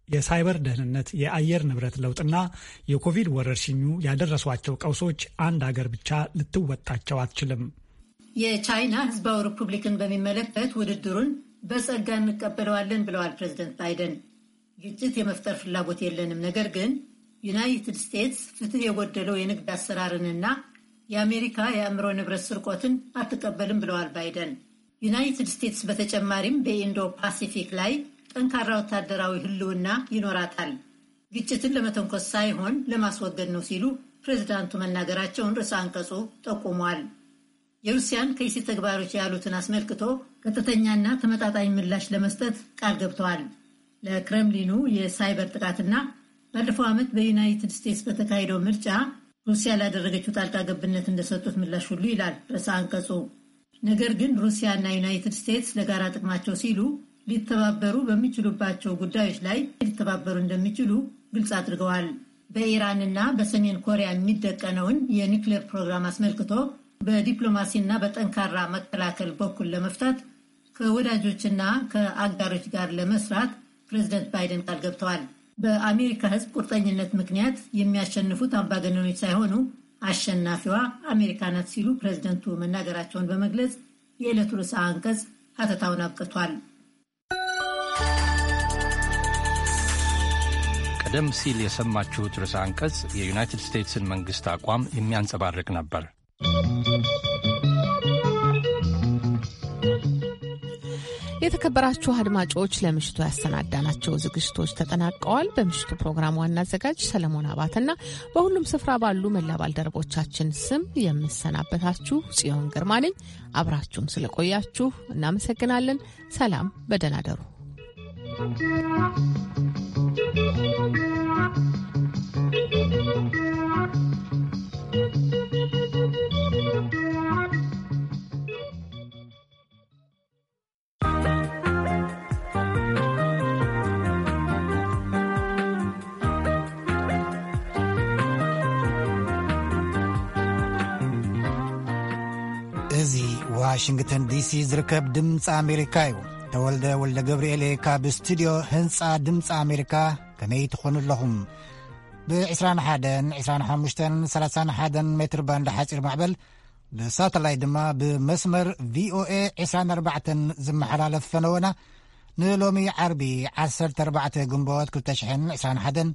የሳይበር ደህንነት፣ የአየር ንብረት ለውጥና የኮቪድ ወረርሽኙ ያደረሷቸው ቀውሶች አንድ አገር ብቻ ልትወጣቸው አትችልም። የቻይና ህዝባዊ ሪፑብሊክን በሚመለከት ውድድሩን በጸጋ እንቀበለዋለን ብለዋል ፕሬዝደንት ባይደን። ግጭት የመፍጠር ፍላጎት የለንም፣ ነገር ግን ዩናይትድ ስቴትስ ፍትህ የጎደለው የንግድ አሰራርንና የአሜሪካ የአእምሮ ንብረት ስርቆትን አትቀበልም ብለዋል ባይደን። ዩናይትድ ስቴትስ በተጨማሪም በኢንዶ ፓሲፊክ ላይ ጠንካራ ወታደራዊ ህልውና ይኖራታል። ግጭትን ለመተንኮስ ሳይሆን ለማስወገድ ነው ሲሉ ፕሬዝዳንቱ መናገራቸውን ርዕሰ አንቀጹ ጠቁሟል። የሩሲያን ከይሲ ተግባሮች ያሉትን አስመልክቶ ቀጥተኛና ተመጣጣኝ ምላሽ ለመስጠት ቃል ገብተዋል። ለክረምሊኑ የሳይበር ጥቃትና ባለፈው ዓመት በዩናይትድ ስቴትስ በተካሄደው ምርጫ ሩሲያ ላደረገችው ጣልቃ ገብነት እንደሰጡት ምላሽ ሁሉ ይላል ርዕሰ አንቀጹ። ነገር ግን ሩሲያና ዩናይትድ ስቴትስ ለጋራ ጥቅማቸው ሲሉ ሊተባበሩ በሚችሉባቸው ጉዳዮች ላይ ሊተባበሩ እንደሚችሉ ግልጽ አድርገዋል። በኢራንና በሰሜን ኮሪያ የሚደቀነውን የኒውክሌር ፕሮግራም አስመልክቶ በዲፕሎማሲና በጠንካራ መከላከል በኩል ለመፍታት ከወዳጆችና ከአጋሮች ጋር ለመስራት ፕሬዝደንት ባይደን ቃል ገብተዋል። በአሜሪካ ሕዝብ ቁርጠኝነት ምክንያት የሚያሸንፉት አምባገነኖች ሳይሆኑ አሸናፊዋ አሜሪካ ናት ሲሉ ፕሬዝደንቱ መናገራቸውን በመግለጽ የዕለቱ ርዕሰ አንቀጽ ሀተታውን አብቅቷል። ቀደም ሲል የሰማችሁት ርዕሰ አንቀጽ የዩናይትድ ስቴትስን መንግስት አቋም የሚያንጸባርቅ ነበር። የተከበራችሁ አድማጮች፣ ለምሽቱ ያሰናዳናቸው ዝግጅቶች ተጠናቀዋል። በምሽቱ ፕሮግራም ዋና አዘጋጅ ሰለሞን አባተና በሁሉም ስፍራ ባሉ መላ ባልደረቦቻችን ስም የምሰናበታችሁ ጽዮን ግርማ ነኝ። አብራችሁን ስለቆያችሁ እናመሰግናለን። ሰላም፣ በደህና ደሩ። እዚ ዋሽንግተን ዲሲ ዝርከብ ድምፂ ኣሜሪካ እዩ። ተወልደ ወልደ ገብርኤል ካብ ስቱዲዮ ህንፃ ድምፂ ኣሜሪካ። ከመይ ትኾኑ ኣለኹም? ብ21፣ 25፣ 31 ሜትር ባንድ ሓፂር ማዕበል፣ ብሳተላይት ድማ ብመስመር ቪኦኤ 24 ዝመሓላለፍ ፈነወና ንሎሚ ዓርቢ 14 ግንቦት 2021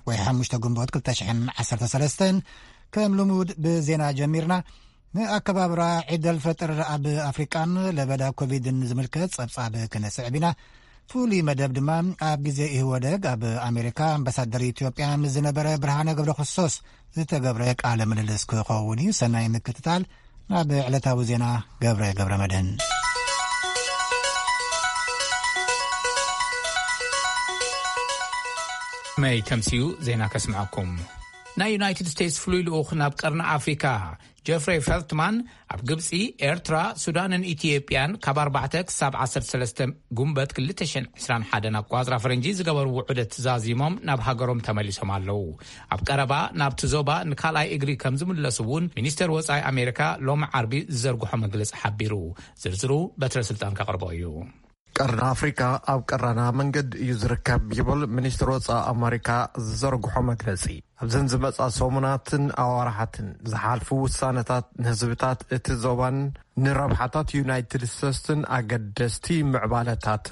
ወይ 5 ግንቦት 2013 ከም ልሙድ ብዜና ጀሚርና። ንኣከባብራ ዒደል ፈጥር ኣብ ኣፍሪቃን ለበዳ ኮቪድን ዝምልከት ጸብጻብ ክነስዕብ ኢና። ፍሉይ መደብ ድማ ኣብ ግዜ ኢህወደግ ኣብ ኣሜሪካ ኣምባሳደር ኢትዮጵያ ምስ ዝነበረ ብርሃነ ገብረ ክርስቶስ ዝተገብረ ቃለ ምልልስ ክኸውን እዩ። ሰናይ ምክትታል። ናብ ዕለታዊ ዜና ገብረ ገብረ መድህን። መይ ተምስዩ ዜና ከስምዐኩም። ናይ ዩናይትድ ስቴትስ ፍሉይ ልኡኽ ናብ ቀርኒ ኣፍሪካ ጀፍሬ ፈልትማን ኣብ ግብፂ፣ ኤርትራ፣ ሱዳንን ኢትዮጵያን ካብ ኣርባዕተ ክሳብ ዓሰርተ ሰለስተ ጉንበት ክልተ ሽሕን ዕስራን ሓደን ኣቋፅራ ፈረንጂ ዝገበርዎ ዑደት ዛዚሞም ናብ ሃገሮም ተመሊሶም ኣለዉ። ኣብ ቀረባ ናብቲ ዞባ ንካልኣይ እግሪ ከም ዝምለሱ እውን ሚኒስተር ወፃኢ ኣሜሪካ ሎሚ ዓርቢ ዝዘርግሖ መግለፂ ሓቢሩ። ዝርዝሩ በትረ ስልጣን ከቕርቦ እዩ። ቀርኒ ኣፍሪካ ኣብ ቀራና መንገዲ እዩ ዝርከብ ይብል ሚኒስትር ወፃኢ ኣመሪካ ዝዘርግሖ መግለፂ። ኣብዘን ዝመፃ ሰሙናትን ኣዋርሓትን ዝሓልፉ ውሳነታት ንህዝብታት እቲ ዞባን ንረብሓታት ዩናይትድ ስቴትስን ኣገደስቲ ምዕባለታት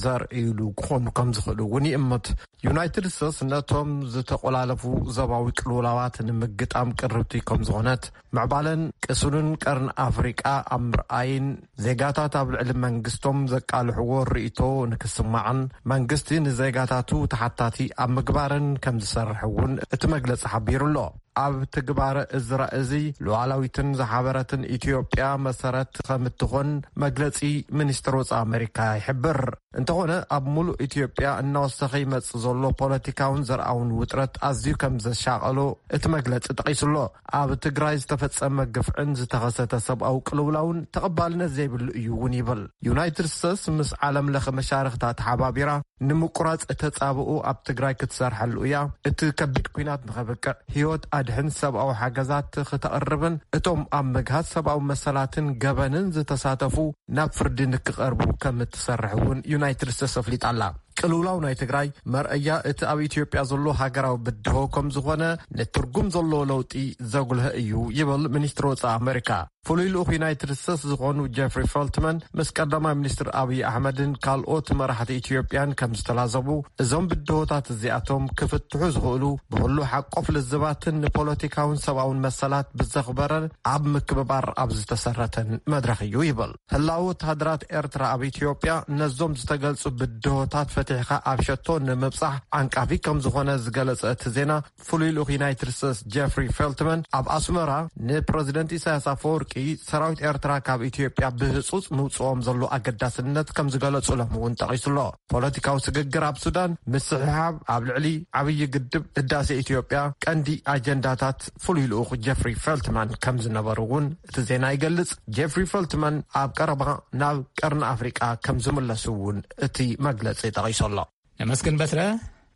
ዘርእይሉ ክኾኑ ከም ዝኽእሉ እውን ይእምት። ዩናይትድ ስቴትስ ነቶም ዝተቆላለፉ ዞባዊ ቅልውላዋት ንምግጣም ቅርብቲ ከም ዝኾነት፣ ምዕባለን ቅሱንን ቀርኒ ኣፍሪቃ ኣብ ምርኣይን ዜጋታት ኣብ ልዕሊ መንግስቶም ዘቃልሕዎ ርእይቶ ንክስማዕን መንግስቲ ንዜጋታቱ ተሓታቲ ኣብ ምግባርን ከም ዝሰርሕ እውን እቲ መግለጺ ሓቢሩ ኣሎ። ኣብ ትግባረ እዚ ራእይ እዚ ሉዓላዊትን ዝሓበረትን ኢትዮጵያ መሰረት ከም እትኾን መግለጺ ሚኒስትር ወጻኢ ኣመሪካ ይሕብር። እንተኾነ ኣብ ሙሉእ ኢትዮጵያ እናወሰኸ ይመጽእ ዘሎ ፖለቲካውን ዘርኣውን ውጥረት ኣዝዩ ከም ዘሻቐሎ እቲ መግለጺ ጠቒሱ ኣሎ። ኣብ ትግራይ ዝተፈጸመ ግፍዕን ዝተኸሰተ ሰብኣዊ ቅልውላውን ተቐባልነት ዘይብሉ እዩ እውን ይብል። ዩናይትድ ስቴትስ ምስ ዓለም ለኸ መሻርኽታ ተሓባቢራ ንምቁራጽ ተጻብኦ ኣብ ትግራይ ክትሰርሐሉ እያ። እቲ ከቢድ ኲናት ንኸብቅዕ፣ ህይወት ኣድሕን ሰብኣዊ ሓገዛት ክተቕርብን እቶም ኣብ ምግሃስ ሰብኣዊ መሰላትን ገበንን ዝተሳተፉ ናብ ፍርዲ ንክቐርቡ ከም እትሰርሕ እውን ዩናይትድ ስቴትስ ኣፍሊጣ ኣላ። ቅልውላው ናይ ትግራይ መርኣያ እቲ ኣብ ኢትዮጵያ ዘሎ ሃገራዊ ብድሆ ከም ዝኾነ፣ ንትርጉም ዘለዎ ለውጢ ዘጉልሀ እዩ ይብል ሚኒስትሪ ወጻኢ ኣመሪካ። ፍሉይ ልኡኽ ዩናይትድ ስቴትስ ዝኾኑ ጀፍሪ ፈልትመን ምስ ቀዳማይ ሚኒስትር ኣብይ ኣሕመድን ካልኦት መራሕቲ ኢትዮጵያን ከም ዝተላዘቡ፣ እዞም ብድሆታት እዚኣቶም ክፍትሑ ዝኽእሉ ብኹሉ ሓቆፍ ልዝባትን ንፖለቲካውን ሰብኣውን መሰላት ብዘኽበረን ኣብ ምክብባር ኣብ ዝተሰረተን መድረኽ እዩ ይብል። ህላወ ወተሃደራት ኤርትራ ኣብ ኢትዮጵያ ነዞም ዝተገልጹ ብድሆታት ፈቲሕካ ኣብ ሸቶ ንምብጻሕ ዓንቃፊ ከም ዝኾነ ዝገለጸ እቲ ዜና፣ ፍሉይ ልኡኽ ዩናይትድ ስቴትስ ጀፍሪ ፌልትመን ኣብ ኣስመራ ንፕረዚደንት ኢሳያስ ኣፈወርቂ ሰራዊት ኤርትራ ካብ ኢትዮጵያ ብህጹጽ ምውጽኦም ዘሎ ኣገዳስነት ከም ዝገለጹሎም እውን ጠቒሱሎ። ፖለቲካዊ ስግግር ኣብ ሱዳን፣ ምስሕሓብ ኣብ ልዕሊ ዓብዪ ግድብ ህዳሴ ኢትዮጵያ ቀንዲ ኣጀንዳታት ፍሉይ ልኡኽ ጀፍሪ ፌልትማን ከም ዝነበሩ እውን እቲ ዜና ይገልጽ። ጀፍሪ ፌልትማን ኣብ ቀረባ ናብ ቀርኒ ኣፍሪቃ ከም ዝምለሱ እውን እቲ መግለጺ ጠቒሱ ኣሎ። ነመስግን በትረ።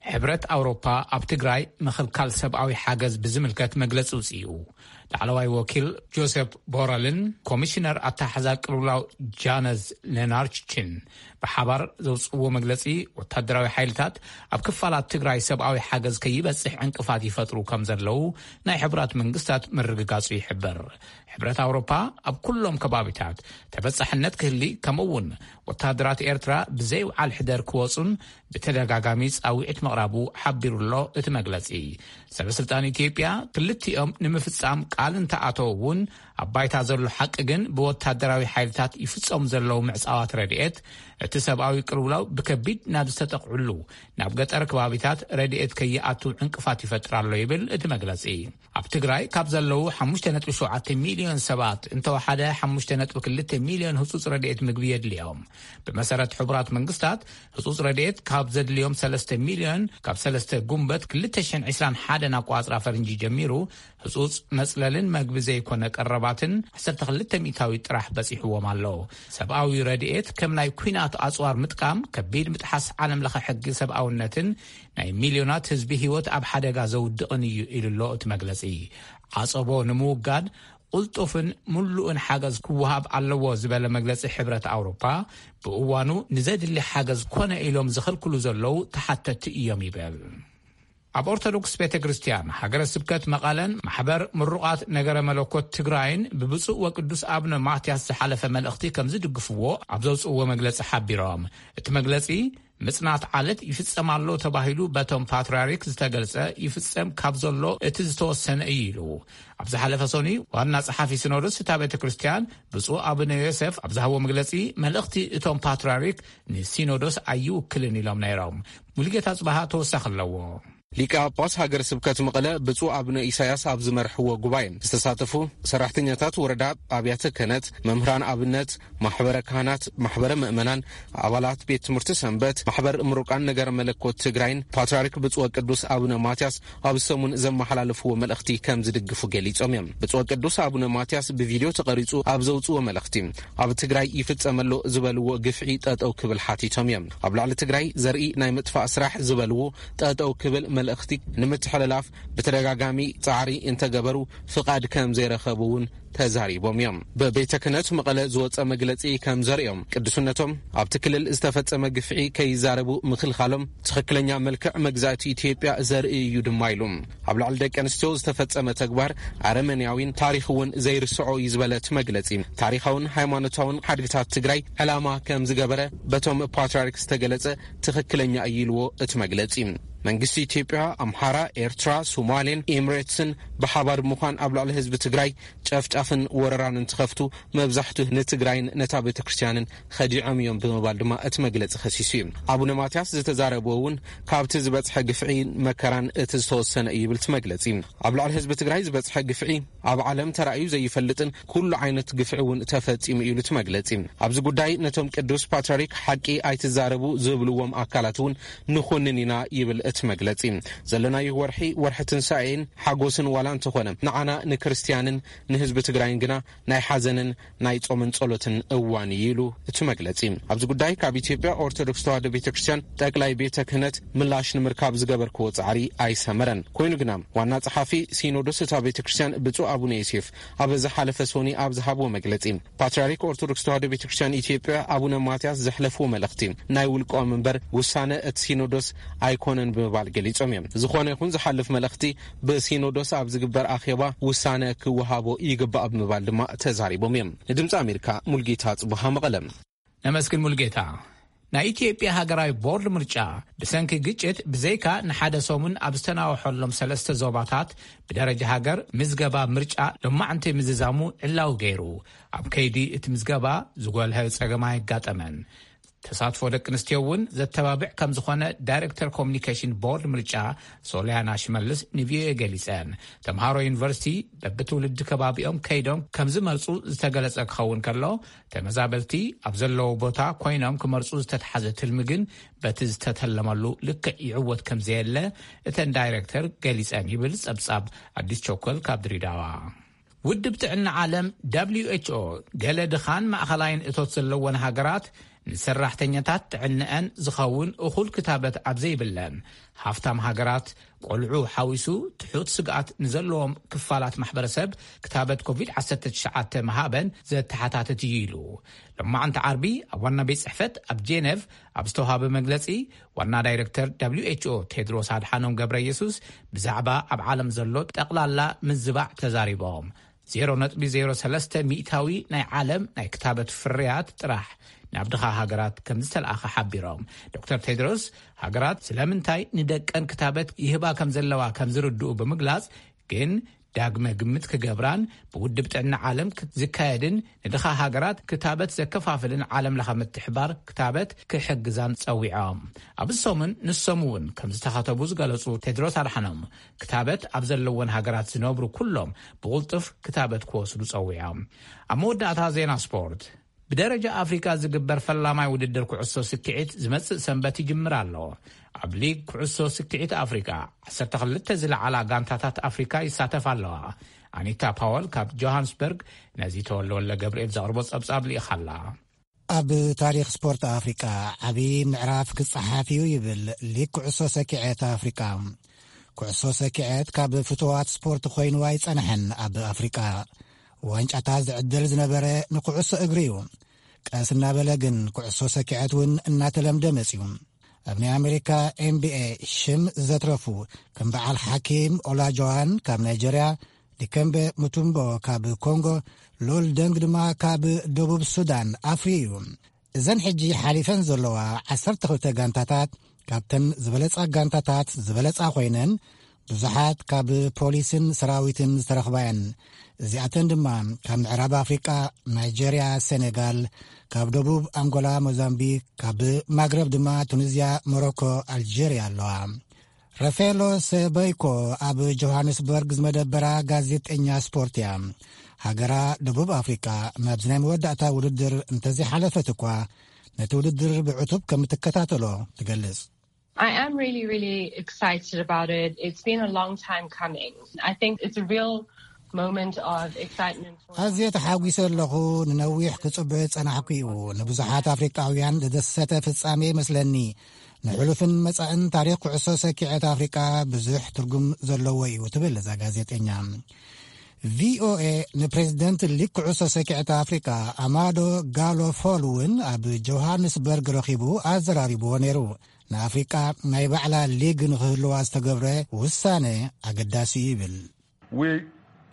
ሕብረት ኣውሮፓ ኣብ ትግራይ ምኽልካል ሰብኣዊ ሓገዝ ብዝምልከት መግለጺ ውፅኡ። ላዕለዋይ ወኪል ጆሴፍ ቦረልን ኮሚሽነር ኣተሓሕዛ ቅልውላው ጃነዝ ሌናርችን ብሓባር ዘውፅእዎ መግለጺ፣ ወታደራዊ ሓይልታት ኣብ ክፋላት ትግራይ ሰብኣዊ ሓገዝ ከይበፅሕ ዕንቅፋት ይፈጥሩ ከም ዘለዉ ናይ ሕቡራት መንግስታት ምርግጋጹ ይሕብር። ሕብረት ኣውሮፓ ኣብ ኩሎም ከባቢታት ተበጻሕነት ክህሊ፣ ከምኡ እውን ወታደራት ኤርትራ ብዘይውዓል ሕደር ክወጹን ብተደጋጋሚ ጻውዒት ምቕራቡ ሓቢሩ ኣሎ እቲ መግለጺ። ሰበ ስልጣን ኢትዮጵያ ክልቲኦም ንምፍጻም ቃል እንተኣተው እውን፣ ኣብ ባይታ ዘሎ ሓቂ ግን ብወታደራዊ ሓይልታት ይፍጸሙ ዘለዉ ምዕጻዋት ረድኤት፣ እቲ ሰብኣዊ ቅልውላው ብከቢድ ናብ ዝተጠቕዕሉ ናብ ገጠር ከባቢታት ረድኤት ከይኣቱ ዕንቅፋት ይፈጥር ኣሎ ይብል እቲ መግለጺ። ኣብ ትግራይ ካብ ዘለዉ ሓሙሽተ ነጥቢ ሸውዓተ ሚልዮን ሰባት እንተወሓደ ሓሙሽተ ነጥቢ ክልተ ሚልዮን ህጹጽ ረድኤት ምግቢ የድልዮም። ብመሰረት ሕቡራት መንግስታት፣ ህጹጽ ረድኤት ካብ ዘድልዮም ሰለስተ ሚልዮን፣ ካብ ሰለስተ ጉንበት ክልተ ሽሕን ዕስራን ሓደን ኣቋጽራ ፈረንጂ ጀሚሩ፣ ህጹጽ መጽለልን መግቢ ዘይኮነ ቀረባትን ዓሰርተ ክልተ ሚእታዊ ጥራሕ በጺሕዎም ኣሎ። ሰብኣዊ ረድኤት ከም ናይ ኲናት ኣጽዋር ምጥቃም ከቢድ ምጥሓስ ዓለም ለኸ ሕጊ ሰብኣውነትን ናይ ሚልዮናት ህዝቢ ህይወት ኣብ ሓደጋ ዘውድቕን እዩ ኢሉ ኣሎ እቲ መግለጺ። ዓጸቦ ንምውጋድ ቁልጡፍን ምሉእን ሓገዝ ክወሃብ ኣለዎ ዝበለ መግለጺ ሕብረት ኣውሮፓ፣ ብእዋኑ ንዘድሊ ሓገዝ ኮነ ኢሎም ዝኽልክሉ ዘለዉ ተሓተቲ እዮም ይብል። ኣብ ኦርቶዶክስ ቤተ ክርስቲያን ሃገረ ስብከት መቐለን ማሕበር ምሩቓት ነገረ መለኮት ትግራይን ብብፁዕ ወቅዱስ ኣቡነ ማትያስ ዝሓለፈ መልእኽቲ ከም ዝድግፍዎ ኣብ ዘውፅእዎ መግለፂ ሓቢሮም። እቲ መግለፂ፣ ምጽናት ዓለት ይፍጸም ኣሎ ተባሂሉ በቶም ፓትርያርክ ዝተገልጸ ይፍጸም ካብ ዘሎ እቲ ዝተወሰነ እዩ ኢሉ። ኣብ ዝሓለፈ ሰኑይ ዋና ጸሓፊ ሲኖዶስ እታ ቤተ ክርስቲያን ብፁዕ ኣቡነ ዮሴፍ ኣብ ዝሃቦ መግለጺ፣ መልእኽቲ እቶም ፓትርያርክ ንሲኖዶስ ኣይውክልን ኢሎም ነይሮም። ሙሉጌታ ጽባሃ ተወሳኺ ኣለዎ። ሊቀ ጳጳስ ሃገረ ስብከት መቐለ ብፁዕ ኣቡነ ኢሳያስ ኣብ ዝመርሕዎ ጉባኤ ዝተሳተፉ ሰራሕተኛታት ወረዳ፣ ኣብያተ ክህነት፣ መምህራን ኣብነት፣ ማሕበረ ካህናት፣ ማሕበረ ምእመናን፣ ኣባላት ቤት ትምህርቲ ሰንበት፣ ማሕበር ምሩቃን ነገረ መለኮት ትግራይን ፓትርያርክ ብፁዕ ወቅዱስ ኣቡነ ማትያስ ኣብ ሰሙን ዘመሓላለፍዎ መልእኽቲ ከም ዝድግፉ ገሊጾም እዮም። ብፁዕ ወቅዱስ ኣቡነ ማትያስ ብቪድዮ ተቐሪጹ ኣብ ዘውጽእዎ መልእኽቲ፣ ኣብ ትግራይ ይፍጸም ኣሎ ዝበልዎ ግፍዒ ጠጠው ክብል ሓቲቶም እዮም። ኣብ ልዕሊ ትግራይ ዘርኢ ናይ ምጥፋእ ስራሕ ዝበልዎ ጠጠው ክብል መልእኽቲ ንምትሕልላፍ ብተደጋጋሚ ጻዕሪ እንተገበሩ ፍቓድ ከም ዘይረኸቡ እውን ተዛሪቦም እዮም። ብቤተ ክህነት መቐለ ዝወጸ መግለጺ ከም ዘርእዮም፣ ቅዱስነቶም ኣብቲ ክልል ዝተፈጸመ ግፍዒ ከይዛረቡ ምኽልኻሎም ትኽክለኛ መልክዕ መግዛእቲ ኢትዮጵያ ዘርኢ እዩ ድማ ኢሉ። ኣብ ልዕሊ ደቂ ኣንስትዮ ዝተፈጸመ ተግባር ኣረመኔያዊን ታሪኽ እውን ዘይርስዖ እዩ ዝበለ እቲ መግለጺ፣ ታሪኻውን ሃይማኖታውን ሓድግታት ትግራይ ዕላማ ከም ዝገበረ በቶም ፓትርያርክ ዝተገለጸ ትኽክለኛ እዩ ኢልዎ እቲ መግለጺ። መንግስቲ ኢትዮጵያ፣ ኣምሓራ፣ ኤርትራ፣ ሶማሌን ኤምሬትስን ብሓባር ብምዃን ኣብ ልዕሊ ህዝቢ ትግራይ ጨፍጫፍን ወረራን እንትኸፍቱ፣ መብዛሕቱ ንትግራይን ነታ ቤተ ክርስቲያንን ኸዲዖም እዮም ብምባል ድማ እቲ መግለጺ ኸሲሱ እዩ። ኣቡነ ማትያስ ዝተዛረብዎ እውን ካብቲ ዝበጽሐ ግፍዒን መከራን እቲ ዝተወሰነ እዩ ይብል እቲ መግለጺ። ኣብ ልዕሊ ህዝቢ ትግራይ ዝበጽሐ ግፍዒ ኣብ ዓለም ተራእዩ ዘይፈልጥን ኩሉ ዓይነት ግፍዒ እውን ተፈጺሙ እዩ ኢሉ እቲ መግለጺ። ኣብዚ ጉዳይ ነቶም ቅዱስ ፓትርያርክ ሓቂ ኣይትዛረቡ ዝብልዎም ኣካላት እውን ንኹንን ኢና ይብል እቲ መግለጺ። ዘለናዮ ወርሒ፣ ወርሒ ትንሳኤን ሓጎስን ዋላ እንተኾነ፣ ንዓና ንክርስትያንን ንህዝቢ ትግራይን ግና ናይ ሓዘንን ናይ ጾምን ጸሎትን እዋን እዩ ኢሉ እቲ መግለጺ። ኣብዚ ጉዳይ ካብ ኢትዮጵያ ኦርቶዶክስ ተዋህዶ ቤተ ክርስቲያን ጠቅላይ ቤተ ክህነት ምላሽ ንምርካብ ዝገበርክዎ ጻዕሪ ኣይሰመረን። ኮይኑ ግና ዋና ጸሓፊ ሲኖዶስ እታ ቤተ ክርስቲያን ብፁዕ ኣቡነ ዮሴፍ ኣብ ዝሓለፈ ሶኒ ኣብ ዝሃብዎ መግለጺ፣ ፓትርያርክ ኦርቶዶክስ ተዋህዶ ቤተ ክርስቲያን ኢትዮጵያ ኣቡነ ማትያስ ዘሕለፍዎ መልእኽቲ ናይ ውልቆም እምበር ውሳነ እቲ ሲኖዶስ ኣይኮነን ብምባል ገሊጾም እዮም። ዝኾነ ይኹን ዝሓልፍ መልእኽቲ ብሲኖዶስ ኣብ ዝግበር ኣኼባ ውሳነ ክወሃቦ ይግባእ ብምባል ድማ ተዛሪቦም እዮም። ንድምፂ ኣሜሪካ ሙልጌታ ጽቡሃ መቐለ። ነመስግን ሙልጌታ። ናይ ኢትዮጵያ ሃገራዊ ቦርድ ምርጫ ብሰንኪ ግጭት ብዘይካ ንሓደ ሰሙን ኣብ ዝተናውሐሎም ሰለስተ ዞባታት ብደረጃ ሃገር ምዝገባ ምርጫ ሎማዕንቲ ምዝዛሙ ዕላዊ ገይሩ። ኣብ ከይዲ እቲ ምዝገባ ዝጎልሀ ጸገም ኣይጋጠመን። ተሳትፎ ደቂ ኣንስትዮ እውን ዘተባብዕ ከም ዝኾነ ዳይሬክተር ኮሚኒኬሽን ቦርድ ምርጫ ሶሊያና ሽመልስ ንቪኦኤ ገሊጸን። ተምሃሮ ዩኒቨርሲቲ በብትውልዲ ከባቢኦም ከይዶም ከም ዝመርጹ ዝተገለጸ ክኸውን ከሎ፣ ተመዛበልቲ ኣብ ዘለዎ ቦታ ኮይኖም ክመርጹ ዝተትሓዘ ትልሚ ግን በቲ ዝተተለመሉ ልክዕ ይዕወት ከም ዘየለ እተን ዳይሬክተር ገሊጸን ይብል ጸብጻብ ኣዲስ ቸኮል ካብ ድሬዳዋ። ውድብ ጥዕና ዓለም ደብሊው ኤች ኦ ገለ ድኻን ማእኸላይን እቶት ዘለወን ሃገራት ንሰራሕተኛታት ጥዕንአን ዝኸውን እኹል ክታበት ኣብ ዘይብለን፣ ሃፍታም ሃገራት ቆልዑ ሓዊሱ ትሑት ስግኣት ንዘለዎም ክፋላት ማሕበረሰብ ክታበት ኮቪድ ዓሰርተ ትሽዓተ ምሃበን ዘተሓታትት እዩ ኢሉ። ሎማዕንቲ ዓርቢ ኣብ ዋና ቤት ጽሕፈት ኣብ ጄኔቭ ኣብ ዝተዋሃበ መግለጺ፣ ዋና ዳይሬክተር ደብሊው ኤች ኦ ቴድሮስ ኣድሓኖም ገብረ የሱስ ብዛዕባ ኣብ ዓለም ዘሎ ጠቕላላ ምዝባዕ ተዛሪቦም። ዜሮ ነጥቢ ዜሮ ሰለስተ ሚእታዊ ናይ ዓለም ናይ ክታበት ፍርያት ጥራሕ ናብ ድኻ ሃገራት ከም ዝተለኣኸ ሓቢሮም። ዶክተር ቴድሮስ፣ ሃገራት ስለምንታይ ንደቀን ክታበት ይህባ ከም ዘለዋ ከም ዝርድኡ ብምግላጽ፣ ግን ዳግመ ግምት ክገብራን ብውድብ ጥዕና ዓለም ክ-፣ ዝካየድን ንድኻ ሃገራት ክታበት ዘከፋፍልን ዓለም ለኸ ምትሕባር ክታበት ክሕግዛን ጸዊዖም። ኣብዚ ሰሙን ንሶም እውን ከም ዝተኸተቡ ዝገለጹ ቴድሮስ ኣድሓኖም፣ ክታበት ኣብ ዘለወን ሃገራት ዝነብሩ ኩሎም ብቕልጡፍ ክታበት ክወስዱ ጸዊዖም። ኣብ መወዳእታ ዜና ስፖርት። ብደረጃ ኣፍሪካ ዝግበር ፈላማይ ውድድር ኩዕሶ ስክዒት ዝመጽእ ሰንበት ይጅምር ኣሎ። ኣብ ሊግ ኩዕሶ ስክዒት ኣፍሪካ ዓሰርተ ክልተ ዝለዓላ ጋንታታት ኣፍሪካ ይሳተፋ ኣለዋ። ኣኒታ ፓወል ካብ ጆሃንስበርግ ነዚ ተወልደ ወልደ ገብርኤል ዘቕርቦ ጸብጻብ ልኢኻ ኣላ። ኣብ ታሪኽ ስፖርት ኣፍሪቃ ዓቢ ምዕራፍ ክጸሓፍ እዩ ይብል ሊግ ኩዕሶ ሰኪዔት ኣፍሪቃ። ኩዕሶ ሰኪዔት ካብ ፍትዋት ስፖርት ኮይኑ ኣይጸንሐን ኣብ ኣፍሪቃ። ዋንጫታት ዝዕደል ዝነበረ ንኩዕሶ እግሪ እዩ። ቀስ እናበለ ግን ኩዕሶ ሰኪዔት እውን እናተለምደ መጺኡ። ኣብ ናይ ኣሜሪካ ኤን ቢ ኤ ሽም ዘትረፉ ከም በዓል ሓኪም ኦላጆዋን ካብ ናይጀርያ፣ ዲከምበ ሙቱምቦ ካብ ኮንጎ፣ ሉል ደንግ ድማ ካብ ደቡብ ሱዳን ኣፍርዩ እዩ። እዘን ሕጂ ሓሊፈን ዘለዋ ዓሰርተ ክልተ ጋንታታት ካብተን ዝበለጻ ጋንታታት ዝበለጻ ኮይነን ብዙሓት ካብ ፖሊስን ሰራዊትን ዝተረኽባ እየን። እዚኣተን ድማ ካብ ምዕራብ ኣፍሪቃ ናይጀርያ፣ ሴኔጋል፣ ካብ ደቡብ ኣንጎላ፣ ሞዛምቢክ፣ ካብ ማግረብ ድማ ቱኒዝያ፣ ሞሮኮ፣ ኣልጀርያ ኣለዋ። ራፋኤሎ ሰበይኮ ኣብ ጆሃንስበርግ ዝመደበራ ጋዜጠኛ ስፖርት እያ። ሃገራ ደቡብ ኣፍሪቃ ናብዚ ናይ መወዳእታ ውድድር እንተዘይሓለፈት እኳ ነቲ ውድድር ብዕቱብ ከም እትከታተሎ ትገልጽ። I am really, really excited about it. It's been a long time coming. I think it's a real moment of excitement for ኣዝየ ተሓጒሰ ኣለኹ። ንነዊሕ ክጽበዮ ዝጸናሕኩ እዩ። ንብዙሓት ኣፍሪቃውያን ዘደሰተ ፍጻሜ ይመስለኒ። ንሕሉፍን መጻእን ታሪኽ ኩዕሶ ሰኪዐት ኣፍሪቃ ብዙሕ ትርጉም ዘለዎ እዩ ትብል እዛ ጋዜጠኛ። ቪ ኦ ኤ ንፕሬዚደንት ሊግ ኩዕሶ ሰኪዐት ኣፍሪቃ ኣማዶ ጋሎ ፎል እውን ኣብ ጆሃንስበርግ ረኺቡ ኣዘራሪብዎ ነይሩ። ንኣፍሪቃ ናይ ባዕላ ሊግ ንኽህልዋ ዝተገብረ ውሳነ ኣገዳሲ እዩ ይብል። We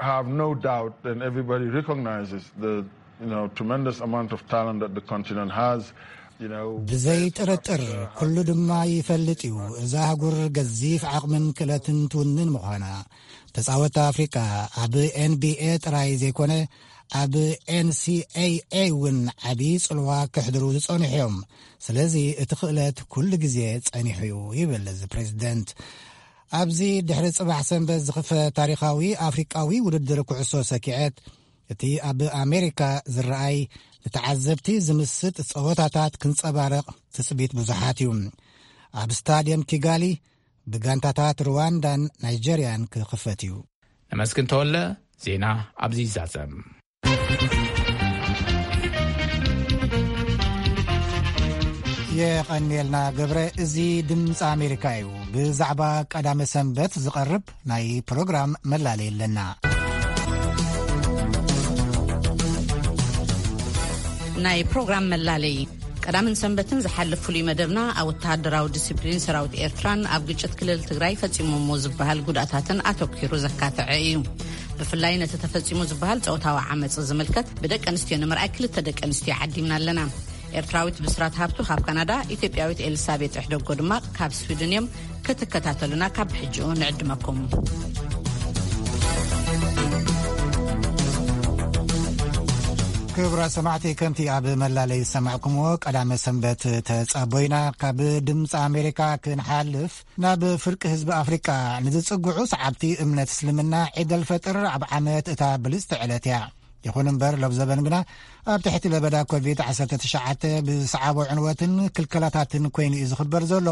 have no doubt, and everybody recognizes the, you know, tremendous amount of talent that the continent has. You know, ብዘይ ጥርጥር ኩሉ ድማ ይፈልጥ እዩ እዛ ኣህጉር ገዚፍ ዓቕምን ክእለትን ትውንን ምዃና። ተጻወትቲ ኣፍሪቃ ኣብ ኤን ቢ ኤ ጥራይ ዘይኮነ ኣብ ኤን ሲ ኤ ኤ እውን ዓቢ ጽልዋ ከሕድሩ ዝጸንሑ እዮም። ስለዚ እቲ ክእለት ኩሉ ግዜ ጸኒሑ እዩ ይብል እዚ ፕሬዚደንት። ኣብዚ ድሕሪ ጽባሕ ሰንበት ዝኽፈት ታሪኻዊ ኣፍሪቃዊ ውድድር ኩዕሶ ሰኪዐት፣ እቲ ኣብ ኣሜሪካ ዝረኣይ ንተዓዘብቲ ዝምስጥ ጸወታታት ክንጸባረቕ ትጽቢት ብዙሓት እዩ። ኣብ ስታድየም ኪጋሊ ብጋንታታት ሩዋንዳን ናይጀርያን ክኽፈት እዩ። ነመስግን ተወለ፣ ዜና ኣብዚ ይዛዘም። የቐንየልና ገብረ። እዚ ድምፂ ኣሜሪካ እዩ። ብዛዕባ ቀዳመ ሰንበት ዝቐርብ ናይ ፕሮግራም መላለይ ኣለና። ናይ ፕሮግራም መላለይ። ቀዳምን ሰንበትን ዝሓልፍ ፍሉይ መደብና ኣብ ወተሃደራዊ ዲስፕሊን ሰራዊት ኤርትራን ኣብ ግጭት ክልል ትግራይ ፈጺሞሞ ዝበሃል ጉድኣታትን ኣተኲሩ ዘካተዐ እዩ። ብፍላይ ነቲ ተፈጺሙ ዝበሃል ጾታዊ ዓመጽ ዝምልከት ብደቂ ኣንስትዮ ንምርኣይ ክልተ ደቂ ኣንስትዮ ዓዲምና ኣለና። ኤርትራዊት ብስራት ሃብቱ ካብ ካናዳ፣ ኢትዮጵያዊት ኤልሳቤጥ እሕደጎ ድማ ካብ ስዊድን እዮም። ክትከታተሉና ካብ ሕጂኡ ንዕድመኩም። ክቡራት ሰማዕቲ፣ ከምቲ ኣብ መላለይ ዝሰማዕኩምዎ፣ ቀዳመ ሰንበት ተጻቦይና ካብ ድምፂ ኣሜሪካ ክንሓልፍ ናብ ፍርቂ ህዝቢ ኣፍሪቃ ንዝጽግዑ ሰዓብቲ እምነት እስልምና ዒድ ኣልፈጥር ኣብ ዓመት እታ ብልጽቲ ዕለት እያ። ይኹን እምበር፣ ሎብ ዘበን ግና ኣብ ትሕቲ ለበዳ ኮቪድ ዓሰርተ ትሽዓተ ብዝሰዓቦ ዕንወትን ክልከላታትን ኮይኑ እዩ ዝኽበር ዘሎ።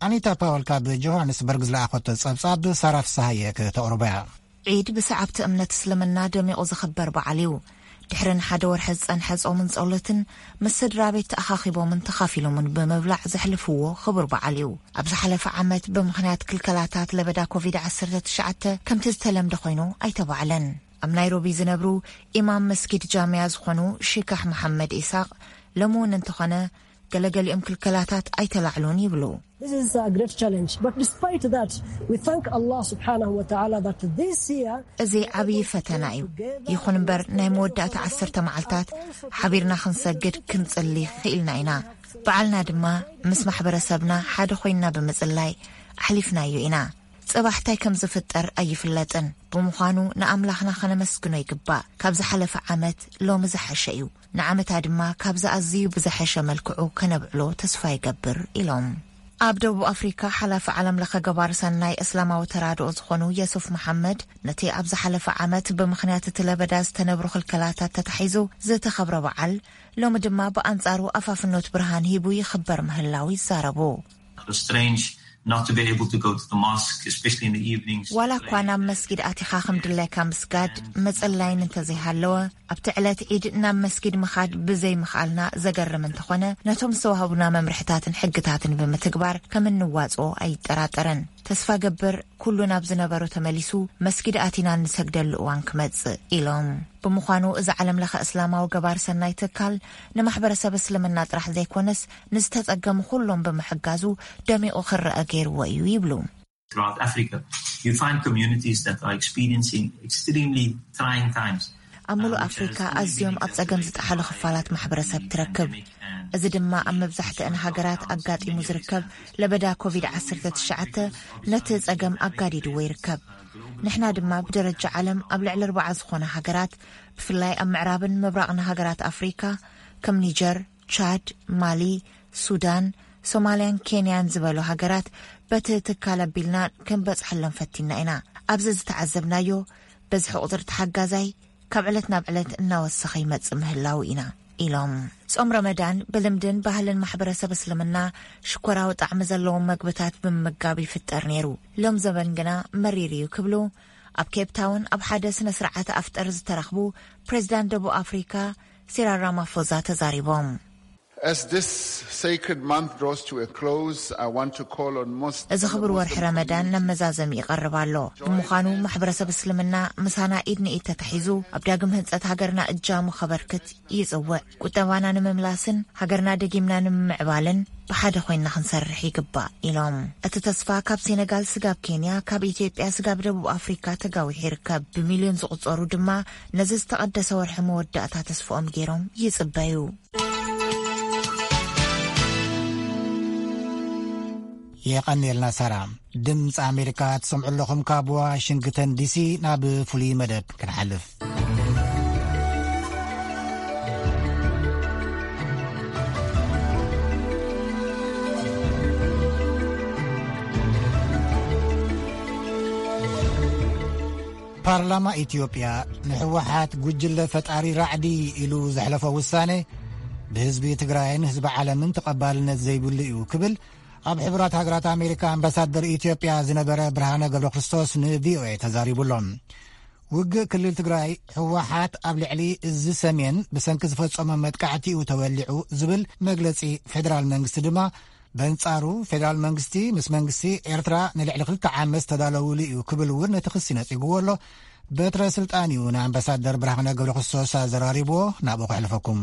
ኣኒታ ፓወል ካብ ጆሃንስበርግ ዝለኣኸቶ ጸብጻብ ሳራ ፍስሃየ ከተቕርቦ እያ። ዒድ ብሰዓብቲ እምነት እስልምና ደሚቑ ዝኽበር በዓል እዩ። ድሕሪ ንሓደ ወርሒ ዝጸንሐ ጾምን ጸሎትን፣ ምስ ስድራ ቤት ተኣኻኺቦምን ተኻፊሎምን ብምብላዕ ዘሕልፍዎ ክቡር በዓል እዩ። ኣብ ዝሓለፈ ዓመት ብምኽንያት ክልከላታት ለበዳ ኮቪድ ዓሰርተ ትሽዓተ ከምቲ ዝተለምደ ኮይኑ ኣይተባዕለን። ኣብ ናይሮቢ ዝነብሩ ኢማም መስጊድ ጃምያ ዝኾኑ ሺካሕ መሓመድ ኢሳቕ፣ ሎሚ እውን እንተኾነ ገለገሊኦም ክልከላታት ኣይተላዕሉን ይብሉ። This is a great challenge, but despite that, we thank Allah subhanahu wa ta'ala that this year እዚ ዓብዪ ፈተና እዩ። ይኹን እምበር፣ ናይ መወዳእታ ዓሰርተ መዓልታት ሓቢርና ክንሰግድ ክንጽሊ ክኢልና ኢና። በዓልና ድማ ምስ ማሕበረሰብና ሓደ ኮይንና ብምጽላይ ኣሕሊፍናዮ ኢና። ጽባሕ እንታይ ከም ዝፍጠር ኣይፍለጥን። ብምዃኑ ንኣምላኽና ከነመስግኖ ይግባእ። ካብ ዝሓለፈ ዓመት ሎሚ ዝሓሸ እዩ። ንዓመታ ድማ ካብዚ ኣዝዩ ብዝሐሸ መልክዑ ከነብዕሎ ተስፋ ይገብር ኢሎም። ኣብ ደቡብ ኣፍሪካ ሓላፊ ዓለም ለኸ ገባር ሰናይ እስላማዊ ተራድኦ ዝኾኑ የሱፍ መሓመድ፣ ነቲ ኣብ ዝሓለፈ ዓመት ብምኽንያት እቲ ለበዳ ዝተነብሩ ክልከላታት ተታሒዙ ዝተኸብረ በዓል፣ ሎሚ ድማ ብኣንጻሩ ኣፋፍኖት ብርሃን ሂቡ ይኽበር ምህላው ይዛረቡ። It was strange not to be able to go to the mosque, especially in the evenings. ዋላ እኳ ናብ መስጊድ ኣቲኻ ከም ድላይካ ምስጋድ መጽላይን እንተዘይሃለወ፣ ኣብቲ ዕለት ዒድ ናብ መስጊድ ምኻድ ብዘይምኽኣልና ዘገርም እንተኾነ፣ ነቶም ዝተዋህቡና መምርሕታትን ሕግታትን ብምትግባር ከም እንዋጽኦ ኣይጠራጠርን። ተስፋ ገብር ኩሉ ናብ ዝነበሮ ተመሊሱ መስጊድ ኣቲና እንሰግደሉ እዋን ክመጽእ ኢሎም። ብምዃኑ እዚ ዓለም ለኸ እስላማዊ ገባር ሰናይ ትካል ንማሕበረሰብ እስልምና ጥራሕ ዘይኮነስ ንዝተጸገሙ ኩሎም ብምሕጋዙ ደሚቑ ክረአ ገይርዎ እዩ ይብሉ። Throughout Africa, you find communities that are experiencing extremely trying times. ኣብ ምሉእ ኣፍሪካ ኣዝዮም ኣብ ጸገም ዝጠሓሉ ክፋላት ማሕበረሰብ ትረክብ። እዚ ድማ ኣብ መብዛሕትአን ሃገራት ኣጋጢሙ ዝርከብ ለበዳ ኮቪድ ዓሰርተ ትሽዓተ ነቲ ጸገም ኣጋዲድዎ ይርከብ። ንሕና ድማ ብደረጃ ዓለም ኣብ ልዕሊ ኣርባዓ ዝኾና ሃገራት፣ ብፍላይ ኣብ ምዕራብን ምብራቕን ሃገራት ኣፍሪካ፣ ከም ኒጀር፣ ቻድ፣ ማሊ፣ ሱዳን፣ ሶማልያን ኬንያን ዝበሉ ሃገራት በቲ ትካል ኣቢልና ክንበጽሐሎም ፈቲና ኢና። ኣብዚ ዝተዓዘብናዮ፣ በዝሒ ቁጽሪ ተሓጋዛይ ካብ ዕለት ናብ ዕለት እናወሰኸ ይመጽእ ምህላው ኢና ኢሎም። ጾም ረመዳን ብልምድን ባህልን ማሕበረሰብ እስልምና ሽኮራዊ ጣዕሚ ዘለዎም መግብታት ብምምጋብ ይፍጠር ነይሩ። ሎም ዘበን ግና መሪር እዩ ክብሉ ኣብ ኬፕ ታውን ኣብ ሓደ ስነ ስርዓት ኣፍጠር ዝተረኽቡ ፕሬዚዳንት ደቡብ ኣፍሪካ ሲራል ራማፎዛ ተዛሪቦም። As this sacred month draws to a close, I want to call on Muslims. እዚ ክቡር ወርሒ ረመዳን ናብ መዛዘሚ ይቐርብ ኣሎ። ብምዃኑ ማሕበረሰብ እስልምና ምሳና ኢድ ንኢድ ተታሒዙ ኣብ ዳግም ህንፀት ሃገርና እጃሙ ከበርክት ይጽውዕ። ቁጠባና ንምምላስን ሃገርና ደጊምና ንምምዕባልን ብሓደ ኮይንና ክንሰርሕ ይግባእ ኢሎም። እቲ ተስፋ ካብ ሴነጋል ስጋብ ኬንያ፣ ካብ ኢትዮጵያ ስጋብ ደቡብ ኣፍሪካ ተጋዊሑ ይርከብ። ብሚልዮን ዝቑጸሩ ድማ ነዚ ዝተቐደሰ ወርሒ መወዳእታ ተስፍኦም ገይሮም ይጽበዩ። የቐንየልና ሳራ። ድምፂ ኣሜሪካ ትሰምዑ ኣለኹም። ካብ ዋሽንግተን ዲሲ ናብ ፍሉይ መደብ ክንሓልፍ። ፓርላማ ኢትዮጵያ ንህወሓት ጉጅለ ፈጣሪ ራዕዲ ኢሉ ዘሕለፎ ውሳነ ብህዝቢ ትግራይን ህዝቢ ዓለምን ተቐባልነት ዘይብሉ እዩ ክብል ኣብ ሕቡራት ሃገራት ኣሜሪካ ኣምባሳደር ኢትዮጵያ ዝነበረ ብርሃነ ገብረ ክርስቶስ ንቪኦኤ ተዛሪቡ ኣሎ። ውግእ ክልል ትግራይ፣ ህወሓት ኣብ ልዕሊ እዚ ሰሜን ብሰንኪ ዝፈጸሞ መጥቃዕቲ እዩ ተወሊዑ ዝብል መግለጺ ፌደራል መንግስቲ ድማ፣ በንጻሩ ፌደራል መንግስቲ ምስ መንግስቲ ኤርትራ ንልዕሊ ክልተ ዓመት ዝተዳለውሉ እዩ ክብል እውን ነቲ ክሲ ነጺግዎ ኣሎ። በትረ ስልጣን እዩ ንኣምባሳደር ብርሃነ ገብረ ክርስቶስ ኣዘራሪብዎ። ናብኡ ከሕልፈኩም።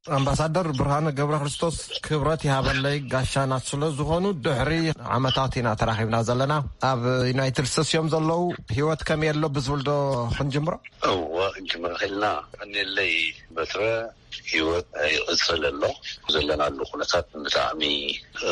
ኣምባሳደር ብርሃነ ገብረ ክርስቶስ፣ ክብረት ይሃበለይ፣ ጋሻና ስለ ዝኾኑ፣ ድሕሪ ዓመታት ኢና ተራኺብና ዘለና። ኣብ ዩናይትድ ስቴትስ እዮም ዘለዉ። ህይወት ከመይ ኣሎ ብዝብል ዶ ክንጅምሮ? እወ፣ ክንጅምሮ ኽኢልና። ቀኒለይ በትረ፣ ህይወት ይቕጽል ኣሎ። ዘለናሉ ኩነታት ብጣዕሚ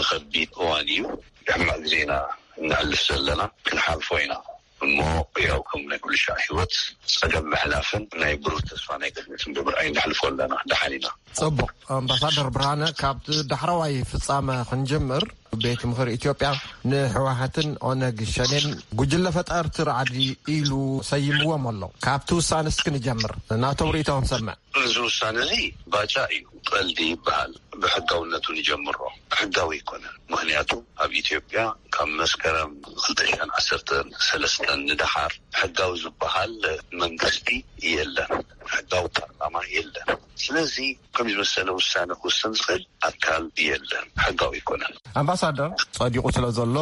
ከቢድ እዋን እዩ። ሕማቕ ግዜ ኢና እናሕልፍ ዘለና፣ ክንሓልፎ ኢና። እሞ ያው ከም ናይ ኩሉ ሻዕ ህይወት ጸገም ምሕላፍን ናይ ብሩህ ተስፋ ናይ ቅድሚትን ብምርኣይ ንሕልፎ ኣለና። ደሓን ኢና። ጽቡቕ። ኣምባሳደር ብርሃነ፣ ካብ ዳሕረዋይ ፍጻመ ክንጅምር፣ ቤት ምኽሪ ኢትዮጵያ ንህወሓትን ኦነግ ሸኔን ጉጅለ ፈጠርቲ ራዕዲ ኢሉ ሰይምዎም ኣሎ። ካብቲ ውሳነ እስኪ ንጀምር፣ ናቶም ርእይቶ ክንሰምዕ። እዚ ውሳነ እዚ ባጫ እዩ፣ ቀልዲ ይበሃል። ብሕጋውነቱ ንጀምሮ። ሕጋዊ ኣይኮነን። ምኽንያቱ ኣብ ኢትዮጵያ ካብ መስከረም ክልተ ሽሕን ዓሰርተ ሰለስተን ንደሓር ሕጋዊ ዝበሃል መንግስቲ የለን። ሕጋዊ ፓርላማ የለን። ስለዚ ከም ዝመሰለ ውሳነ ክውስን ዝኽእል ኣካል የለን። ሕጋዊ ኣይኮነን። ኣምባሳደር፣ ጸዲቑ ስለ ዘሎ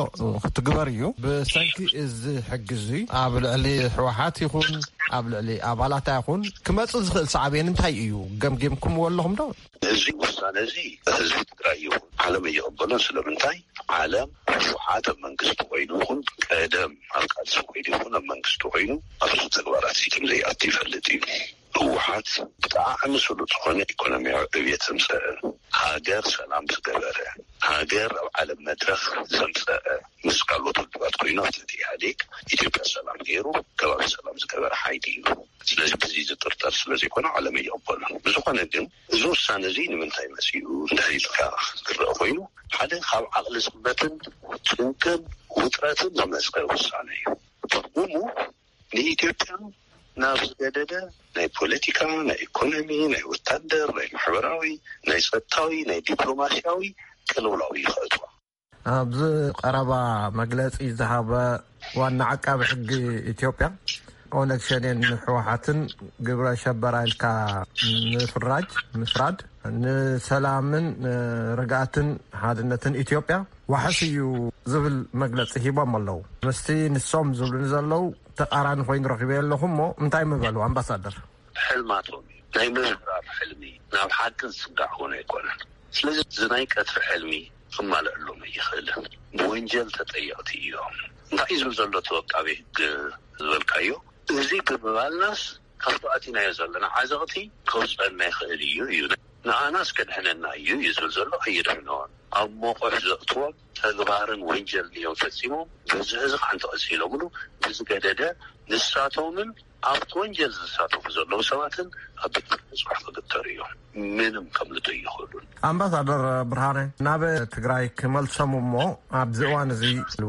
ክትግበር እዩ። ብሰንኪ እዚ ሕጊ እዚ ኣብ ልዕሊ ህወሓት ይኹን ኣብ ልዕሊ ኣባላታ ይኹን ክመጽእ ዝኽእል ሳዕቤን እንታይ እዩ? ገምጊምኩምዎ ኣለኹም ዶ? እዚ ውሳነ እዚ ህዝቢ ትግራይ ይኹን ዓለም ኣይቕበሎን። ስለምንታይ? ዓለም ህወሓት ኣብ መንግስቲ ኮይኑ ይኹን ቀደም ኣብ ቃልሲ ኮይኑ ይኹን ኣብ መንግስቲ ኮይኑ ኣብዚ ተግባራት እዚ ከም ዘይኣቱ ይፈልጥ እዩ። ህወሓት ብጣዕሚ ስሉጥ ዝኾነ ኢኮኖሚያዊ ዕብየት ዘምፀአ፣ ሃገር ሰላም ዝገበረ፣ ሃገር ኣብ ዓለም መድረኽ ዘምፀአ፣ ምስ ካልኦት ውድባት ኮይኑ ኣብ ትሕቲ ኢህኣዴግ ኢትዮጵያ ሰላም ገይሩ ከባቢ ሰላም ዝገበረ ሓይሊ እዩ። ስለዚ በዚ ዝጥርጠር ስለ ዘይኮነ ዓለም ኣይቕበሎን። ብዝኾነ ግን እዚ ውሳነ እዚ ንምንታይ መፂኡ እንድሕር ኢልካ ክረአ ኮይኑ፣ ሓደ ካብ ዓቕሊ ጽበትን ጭንቅን ውጥረትን ዝመፀ ውሳነ እዩ። ትርጉሙ ንኢትዮጵያ ናብ ዝገደደ ናይ ፖለቲካ፣ ናይ ኢኮኖሚ፣ ናይ ወታደር፣ ናይ ማሕበራዊ፣ ናይ ጸጥታዊ፣ ናይ ዲፕሎማሲያዊ ቅልውላው እዩ ከእትዋ። ኣብዚ ቀረባ መግለጺ ዝሃበ ዋና ዓቃቢ ሕጊ ኢትዮጵያ፣ ኦነግ ሸኔን ህወሓትን ግብረ ሸበራ ኢልካ ምፍራጅ፣ ምፍራድ፣ ንሰላምን ርግኣትን ሓድነትን ኢትዮጵያ ዋሕስ እዩ ዝብል መግለጺ ሂቦም ኣለዉ። ምስቲ ንሶም ዝብሉኒ ዘለዉ ተቓራኒ ኮይኑ ረኺበዮ ኣለኹ እሞ እንታይ ምበሉ ኣምባሳደር? ሕልማቶም እዩ። ናይ ምዝራብ ሕልሚ፣ ናብ ሓቅን ዝስጋዕ እውን ኣይኮነን። ስለዚ እዚ ናይ ቀትሪ ሕልሚ ክማልአሎም ኣይኽእልን። ብወንጀል ተጠየቕቲ እዮም። እንታይ እዩ ዝብል ዘሎ እቲ ወቃቤ ህግ ዝበልካዮ? እዚ ብምባልናስ ካብቲ ኣቲናዮ ዘለና ዓዘቕቲ ከውፅአና ይኽእል እዩ እዩ። ንኣናስ ከድሕነና እዩ እዩ ዝብል ዘሎ። ኣየድሕኖን። ኣብ መቑሕ ዘእትዎም ተግባርን ወንጀልን እዮም ፈፂሞም። በዚ ሕዚ ከዓ እንተቐፂሎምሉ ብዝገደደ ንሳቶምን ኣብቲ ወንጀል ዝሳተፉ ዘለዉ ሰባትን ኣብ ቤት ፍርዲ ንፅባሕ ክግተሩ እዮም። ምንም ከምልጡ ኣይኽእሉን። ኣምባሳደር ብርሃነ፣ ናብ ትግራይ ክመልሶም እሞ ኣብዚ እዋን እዚ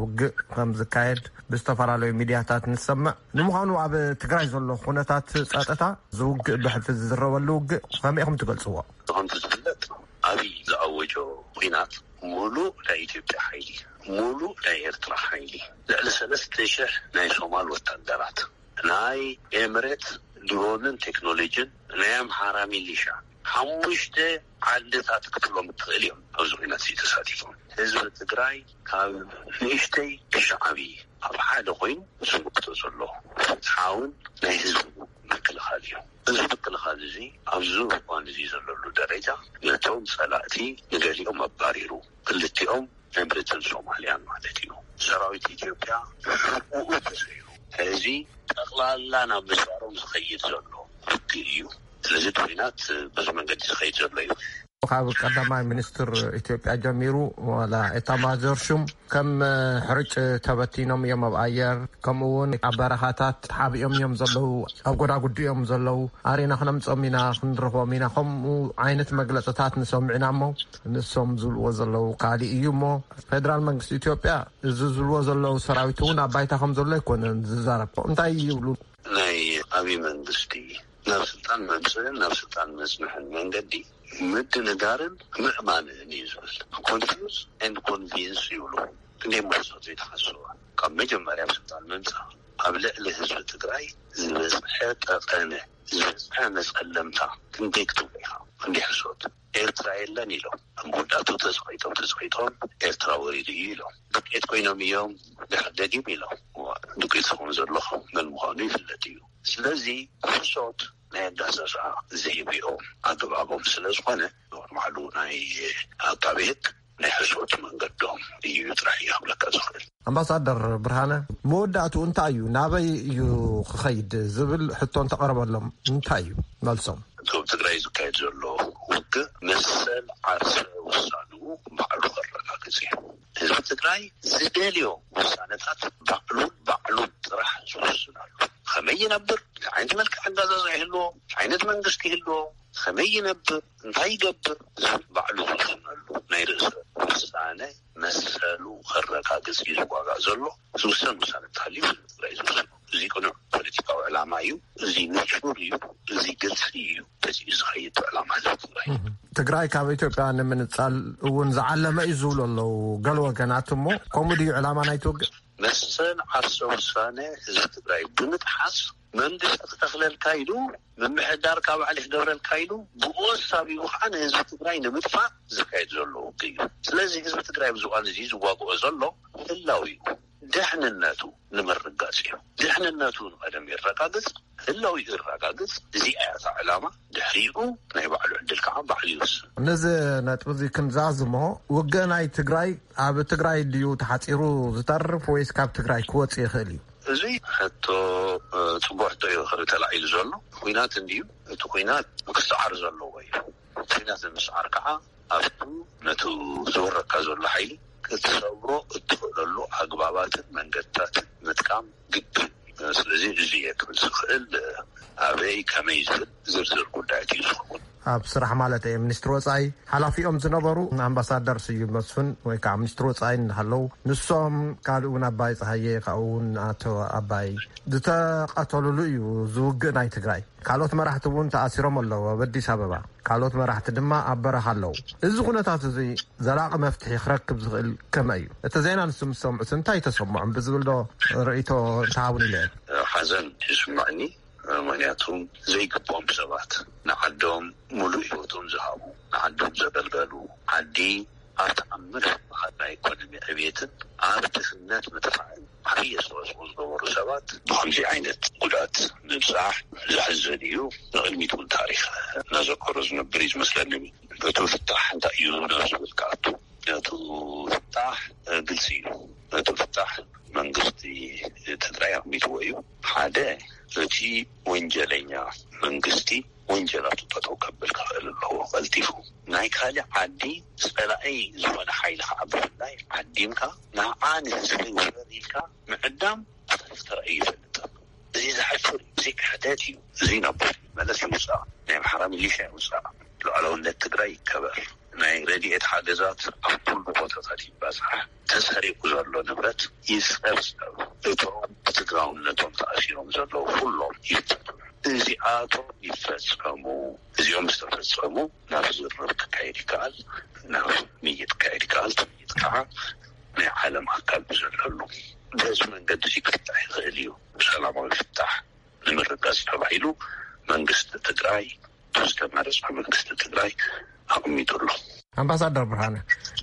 ውግእ ከም ዝካየድ ብዝተፈላለዩ ሚድያታት ንሰምዕ። ንምዃኑ ኣብ ትግራይ ዘሎ ኩነታት ጸጥታ፣ ዝውግእ ብሕልፊ ዝዝረበሉ ውግእ ከመይ ኢኹም ትገልጽዎ? ከምቲ ዝፍለጥ ኣብይ ዝኣወጆ ኲናት ሙሉእ ናይ ኢትዮጵያ ሓይሊ፣ ሙሉእ ናይ ኤርትራ ሓይሊ፣ ልዕሊ ሰለስተ ሽሕ ናይ ሶማል ወታደራት፣ ናይ ኤምሬት ድሮንን ቴክኖሎጂን፣ ናይ ኣምሓራ ሚሊሻ፣ ሓሙሽተ ዓድታት ክትብሎም እትኽእል እዮም ኣብዚ ኲናት እዚ ተሳቲፎም። ህዝቢ ትግራይ ካብ ንእሽተይ ክሻዕ ዓብዪ ኣብ ሓደ ኮይኑ ዝምክቶ ዘሎ ፍትሓውን ናይ ህዝቢ ምክልኻል እዩ። እዚ ምክልኻል እዚ ኣብዚ እዋን እዚ ዘለሉ ደረጃ ነቶም ጸላእቲ ንገሊኦም ኣባሪሩ፣ ክልቲኦም ኤምሬትን ሶማልያን ማለት እዩ። ሰራዊት ኢትዮጵያ ሕቁኡ ተሰይሩ። ሕዚ ጠቕላላ ናብ ምዝባሮም ዝኸይድ ዘሎ ውግእ እዩ። ስለዚ እቲ ኲናት በዚ መንገዲ ዝኸይድ ዘሎ እዩ። ካብ ቀዳማይ ሚኒስትር ኢትዮጵያ ጀሚሩ፣ ዋላ ኤታማዦር ሹም ከም ሕርጭ ተበቲኖም እዮም ኣብ ኣየር፣ ከምኡ እውን ኣብ በረኻታት ተሓቢኦም እዮም ዘለዉ፣ ኣብ ጎዳጉዲ እዮም ዘለዉ፣ ኣሪና ክነምጾም ኢና፣ ክንረኽቦም ኢና፣ ከምኡ ዓይነት መግለጽታት ንሰምዕ ኢና እሞ፣ ንሶም ዝብልዎ ዘለዉ ካልእ እዩ እሞ፣ ፌደራል መንግስቲ ኢትዮጵያ እዚ ዝብልዎ ዘለዉ ሰራዊት እውን ኣብ ባይታ ከም ዘሎ ኣይኮነን ዝዛረብ። እንታይ ይብሉ? ናይ ኣብይ መንግስቲ ናብ ስልጣን መምፅእን ናብ ስልጣን መፅንሕን መንገዲ ምድንጋርን ምእማንን እዩ ዝብል። ኮንፊውዝ ኤንድ ኮንቪንስ ይብሉ። ክንደይ መሕሶት ዘይተሓስቡ ካብ መጀመርያ ኣብ ስልጣን ምምፃእ ኣብ ልዕሊ ህዝቢ ትግራይ ዝበፅሐ ጠቐነ ዝበፅሐ መፀለምታ ክንደይ ክትብሎ ኢኻ? ክንደይ ሕሶት? ኤርትራ የለን ኢሎም ኣብ መወዳእቱ ተፅቂጦም ተፅቂጦም ኤርትራ ወሪዱ እዩ ኢሎም። ዱቄት ኮይኖም እዮም ድሕር ደጊም ኢሎም። ዱቄት ዝኸውን ዘሎ መን ምዃኑ ይፍለጥ እዩ። ስለዚ ሕሶት ናይ ኣጋዛዝኣ ዘይብኦም ኣገባቦም ስለ ዝኾነ ንባዕሉ ናይ ኣቃቤ ሕግ ናይ ሕሶት መንገዶም እዩ ጥራሕ እዩ ክብለካ ዝኽእል። ኣምባሳደር ብርሃነ፣ መወዳእትኡ እንታይ እዩ፣ ናበይ እዩ ክኸይድ ዝብል ሕቶ እንተቐረበሎም እንታይ እዩ መልሶም? እቶም ትግራይ ዝካየድ ዘሎ ውግእ መሰል ዓርሰ ውሳንኡ ባዕሉ ከረጋግፅ እዩ። ህዝቢ ትግራይ ዝደልዮ ውሳነታት ባዕሉን ባዕሉን ጥራሕ ዝውስነሉ፣ ከመይ ይነብር፣ እንታይ ዓይነት መልክዕ ኣጋዛዛ ይህልዎ፣ እንታይ ዓይነት መንግስቲ ይህልዎ፣ ከመይ ይነብር፣ እንታይ ይገብር ዝብል ባዕሉ ዝውስነሉ ናይ ርእሰ ውሳነ መሰሉ ከረጋግፅ እዩ ዝዋጋእ ዘሎ። ዝውሰን ውሳነ እንተሃልዩ ህዝቢ ትግራይ ዝውስኖ። እዚ ቅኑዕ ፖለቲካዊ ዕላማ እዩ። እዚ ንፁር እዩ። እዚ ግልፂ እዩ። በዚ እዩ ዝኸይድ ዕላማ ህዝቢ ትግራይ። ትግራይ ካብ ኢትዮጵያ ንምንፃል እውን ዝዓለመ እዩ ዝብሉ ኣለዉ ገለ ወገናት። እሞ ከምኡ ድዩ ዕላማ ናይቲ ውግእ? መሰል ዓርሰ ውሳነ ህዝቢ ትግራይ ብምጥሓስ መንግስቲ ክተኽለልካ ኢሉ፣ ምምሕዳር ካብ ባዕሊ ክገብረልካ ኢሉ፣ ብኡ ኣሳቢቡ ከዓ ንህዝቢ ትግራይ ንምጥፋእ ዝካየድ ዘሎ ውግእ እዩ። ስለዚ ህዝቢ ትግራይ ኣብዚ እዋን እዚ ዝዋግኦ ዘሎ ህላው እዩ። ደሕንነቱ ንምርጋፅ እዩ። ድሕንነቱ ንቐደም የረጋግፅ፣ ህላው ይረጋግፅ። እዚኣ እያ እታ ዕላማ። ድሕሪኡ ናይ ባዕሉ ዕድል ከዓ ባዕሉ ይወስን። ነዚ ነጥቢ እዚ ክንዛዝሞ፣ ውግእ ናይ ትግራይ ኣብ ትግራይ ድዩ ተሓፂሩ ዝተርፍ ወይስ ካብ ትግራይ ክወፅእ ይኽእል እዩ? እዚ ሕቶ ፅቡቅ ሕቶ እዩ ተላዒሉ ዘሎ። ኩናት እንድዩ፣ እቲ ኩናት ክሰዓር ዘለዎ እዩ። ኩናት ንምስዓር ከዓ ኣብቱ ነቱ ዝወረካ ዘሎ ሓይሊ ክትሰብሮ እትኽእለሉ ኣግባባትን መንገድታትን ምጥቃም ግድን። ስለዚ እዚ እየ ክብል ዝኽእል። ኣበይ ከመይ ዝብል ዝርዝር ጉዳያት እዩ ዝኸውን። ኣብ ስራሕ ማለት እየ። ሚኒስትሪ ወፃኢ ሓላፊኦም ዝነበሩ ኣምባሳደር ስዩም መስፍን ወይ ከዓ ሚኒስትሪ ወፃኢ እንዳሃለው፣ ንሶም ካልእ እውን ኣባይ ፀሃየ ካብኡ እውን ኣቶ ኣባይ ዝተቐተሉሉ እዩ ዝውግእ ናይ ትግራይ። ካልኦት መራሕቲ እውን ተኣሲሮም ኣለዉ ኣብ ኣዲስ ኣበባ። ካልኦት መራሕቲ ድማ ኣብ በረኻ ኣለዉ። እዚ ኩነታት እዚ ዘላቒ መፍትሒ ክረክብ ዝኽእል ከመይ እዩ? እቲ ዜና ንስም ዝሰምዑስ እንታይ ተሰምዖም ብዝብል ዶ ርእይቶ እንተሃቡን ኢለ እየ። ሓዘን ይስምዐኒ። ምክንያቱ ዘይግብኦም ሰባት ንዓዶም ሙሉእ ህይወቶም ዝሃቡ፣ ንዓዶም ዘገልገሉ፣ ዓዲ ኣብ ተኣምር ዝበሃል ናይ ኢኮኖሚ ዕብየትን ኣብ ድኽነት ምጥፋእን ዓብዪ ኣስተዋፅኦ ዝገበሩ ሰባት ብከምዚ ዓይነት ጉድኣት ምብፃሕ ዘሕዝን እዩ። ንቕድሚት እውን ታሪክ እናዘከሮ ዝነብር እዩ ዝመስለኒ። እቲ ፍታሕ እንታይ እዩ ናብ ዝብል ክኣቱ፣ እቲ ፍታሕ ግልፂ እዩ። እቲ ፍታሕ መንግስቲ ትግራይ ኣቕሚጥዎ እዩ። ሓደ፣ እቲ ወንጀለኛ መንግስቲ ወንጀላቱ ጠጠው ከብል ክኽእል ኣለዎ ቀልጢፉ። ናይ ካልእ ዓዲ ፀላኢ ዝኾነ ሓይሊ ከዓ ብፍላይ ዓዲምካ ንዓ ንህዝቢ ውረር ኢልካ ምዕዳም ብታሪክ ተራእዩ ይፈልጥ። እዚ ዘሕፍር እዩ። እዚ ክሕደት እዩ። እዚ ናብ ቦት መለስ ይውፃእ። ናይ ኣምሓራ ሚሊሻ ይውፃእ። ሉዓላውነት ትግራይ ይከበር። ናይ ረድኤት ሓገዛት ኣብ ኩሉ ቦታታት ይባፃሕ። ተሰሪቁ ዘሎ ንብረት ይፀብፀብ። እቶም ብትግራውነቶም ተኣሲሮም ዘለዉ ኩሎም ይፈቱ። እዚኣቶም ይፈፀሙ። እዚኦም ዝተፈፀሙ ናብ ዝርርብ ክካየድ ይከኣል፣ ናብ ምይጥ ክካየድ ይከኣል። እቲ ምይጥ ከዓ ናይ ዓለም ኣካል ብዘለሉ በዚ መንገዲ እዚ ክፍታሕ ይኽእል እዩ። ብሰላማዊ ፍታሕ ንምርጋፅ ተባሂሉ መንግስቲ ትግራይ ዝተመረፀ መንግስቲ ትግራይ ኣቕሚጡ ኣሎ። ኣምባሳደር ብርሃነ፣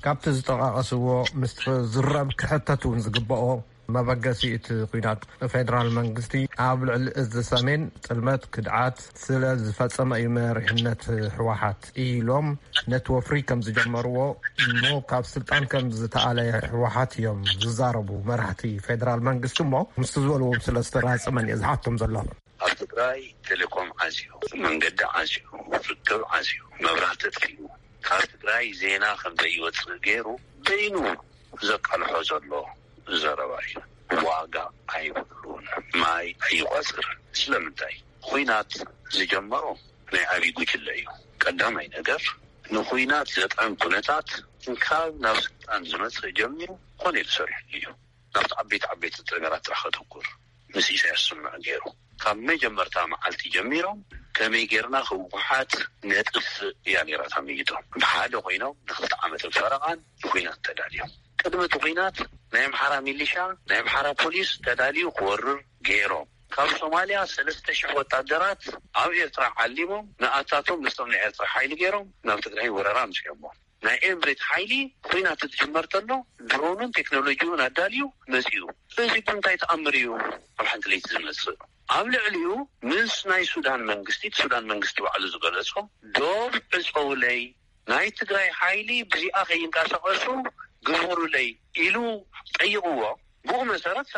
ካብቲ ዝጠቓቐስዎ ምስቲ ዝረብ ክሕተት እውን ዝግበኦ መበገሲ እቲ ኲናት ፌደራል መንግስቲ ኣብ ልዕሊ እዚ ሰሜን ጥልመት ክድዓት ስለ ዝፈጸመ እዩ መሪሕነት ህወሓት ኢሎም ነቲ ወፍሪ ከም ዝጀመርዎ እሞ ካብ ስልጣን ከም ዝተኣለየ ህወሓት እዮም ዝዛረቡ መራሕቲ ፌደራል መንግስቲ እሞ ምስቲ ዝበልዎም ስለ ዝተራጸመን እየ ዝሓቶም ዘለኹ። ኣብ ትግራይ ቴሌኮም ዓፅዩ፣ መንገዲ ዓፅዩ፣ ርክብ ዓፅዩ፣ መብራህቲ ኣጥፊኡ፣ ካብ ትግራይ ዜና ከም ዘይወፅእ ገይሩ በይኑ ዘቃልሖ ዘሎ ዘረባ እዩ። ዋጋ ኣይብሉን፣ ማይ ኣይቋፅርን። ስለምንታይ? ኹናት ዝጀመሮ ናይ ኣብይ ጉጅለ እዩ። ቀዳማይ ነገር ንኹናት ዘጥዕም ኩነታት እንካብ ናብ ስልጣን ዝመፅእ ጀሚሩ ኮነ ኢሉ ሰሪሕሉ እዩ። ናብቲ ዓበይቲ ዓበይቲ ነገራት ጥራሕ ከተኩር ምስ ኢሳያስ ስምዕ ገይሩ ካብ መጀመርታ መዓልቲ ጀሚሮም ከመይ ጌርና ህወሓት ነጥፍእ እያ ነይራ እታ ምይቶም። ብሓደ ኮይኖም ንክልተ ዓመትን ፈረቓን ንኹናት ተዳልዮም። ቅድሚ እቲ ኹናት ናይ ኣምሓራ ሚሊሻ፣ ናይ ኣምሓራ ፖሊስ ተዳልዩ ክወርር ገይሮም። ካብ ሶማልያ ሰለስተ ሽሕ ወታደራት ኣብ ኤርትራ ዓሊሞም ንኣታቶም ምስቶም ናይ ኤርትራ ሓይሊ ገይሮም ናብ ትግራይ ወረራ ኣምፅኦሞ። ናይ ኤምሬት ሓይሊ ኩናት ትጅመር ተሎ ድሮኑን ቴክኖሎጂውን ኣዳልዩ መፂኡ። እዚ እንታይ ተኣምር እዩ ኣብ ሓንቲ ለይቲ ዝመፅእ? ኣብ ልዕሊኡ ምስ ናይ ሱዳን መንግስቲ፣ እቲ ሱዳን መንግስቲ ባዕሉ ዝገለጾ፣ ዶብ ዕፀውለይ፣ ናይ ትግራይ ሓይሊ ብዚኣ ከይንቀሳቀሱ ግበሩለይ ኢሉ ጠይቅዎ። ብኡ መሰረት